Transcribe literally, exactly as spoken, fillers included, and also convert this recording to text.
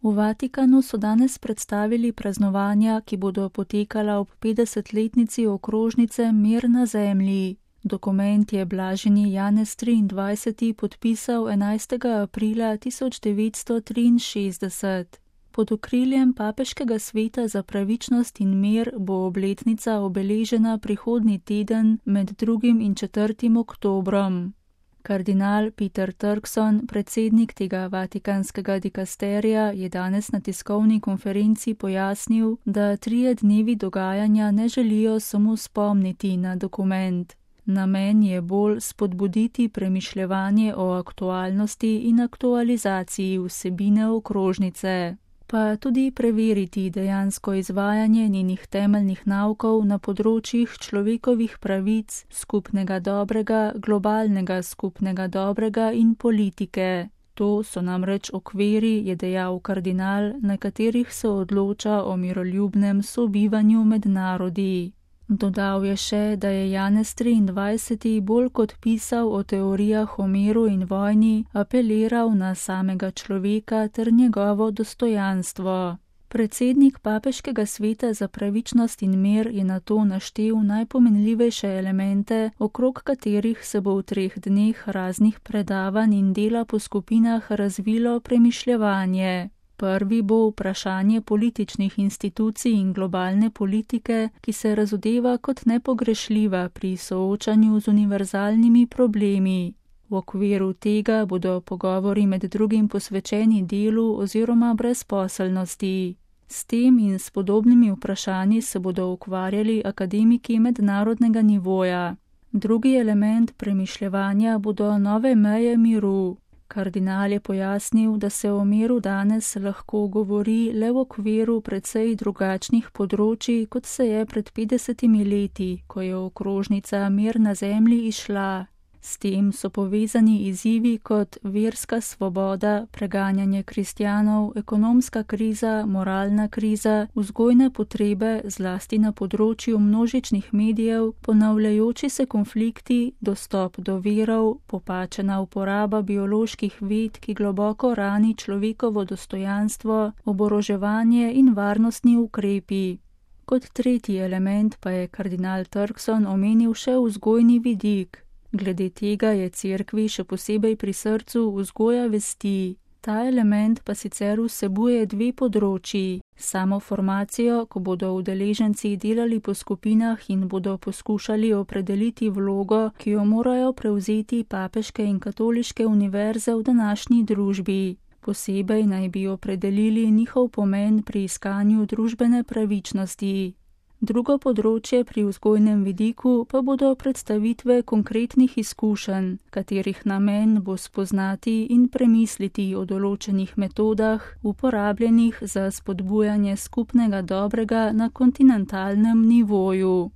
V Vatikanu so danes predstavili praznovanja, ki bodo potekala ob petdesetletnici okrožnice Mir na zemlji. Dokument je blaženi Janez triindvajseti podpisal enajstega aprila tisoč devetsto triinšestdeset. Pod okriljem Papeškega sveta za pravičnost in mir bo obletnica obeležena prihodnji teden med drugim in četrtim oktobrom. Kardinal Peter Turkson, predsednik tega vatikanskega dikasterija, je danes na tiskovni konferenci pojasnil, da trije dnevi dogajanja ne želijo samo spomniti na dokument. Namen je bolj spodbuditi premišljevanje o aktualnosti in aktualizaciji vsebine okrožnice, pa tudi preveriti dejansko izvajanje njenih temeljnih naukov na področjih človekovih pravic, skupnega dobrega, globalnega skupnega dobrega in politike. To so namreč okviri, je dejal kardinal, na katerih se odloča o miroljubnem sobivanju med narodi. Dodal je še, da je Janez triindvajseti bolj kot pisal o teorijah o miru in vojni, apeliral na samega človeka ter njegovo dostojanstvo. Predsednik Papeškega sveta za pravičnost in mir je nato naštel najpomenljivejše elemente, okrog katerih se bo v treh dneh raznih predavanj in dela po skupinah razvilo premišljevanje. Prvi bo vprašanje političnih institucij in globalne politike, ki se razodeva kot nepogrešljiva pri soočanju z univerzalnimi problemi. V okviru tega bodo pogovori med drugim posvečeni delu oziroma brezposelnosti. S tem in s podobnimi vprašanji se bodo ukvarjali akademiki mednarodnega nivoja. Drugi element premišljevanja bodo nove meje miru. Kardinal je pojasnil, da se o miru danes lahko govori le v okviru precej drugačnih področij, kot se je pred petdesetimi leti, ko je okrožnica Mir na zemlji izšla. S tem so povezani izzivi kot verska svoboda, preganjanje kristjanov, ekonomska kriza, moralna kriza, vzgojne potrebe, zlasti na področju množičnih medijev, ponavljajoči se konflikti, dostop do virov, popačena uporaba bioloških ved, ki globoko rani človekovo dostojanstvo, oboroževanje in varnostni ukrepi. Kot tretji element pa je kardinal Turkson omenil še vzgojni vidik. Glede tega je cerkvi še posebej pri srcu vzgoja vesti. Ta element pa sicer vsebuje dve področji. Samo formacijo, ko bodo udeleženci delali po skupinah in bodo poskušali opredeliti vlogo, ki jo morajo prevzeti papeške in katoliške univerze v današnji družbi. Posebej naj bi opredelili njihov pomen pri iskanju družbene pravičnosti. Drugo področje pri vzgojnem vidiku pa bodo predstavitve konkretnih izkušenj, katerih namen bo spoznati in premisliti o določenih metodah, uporabljenih za spodbujanje skupnega dobrega na kontinentalnem nivoju.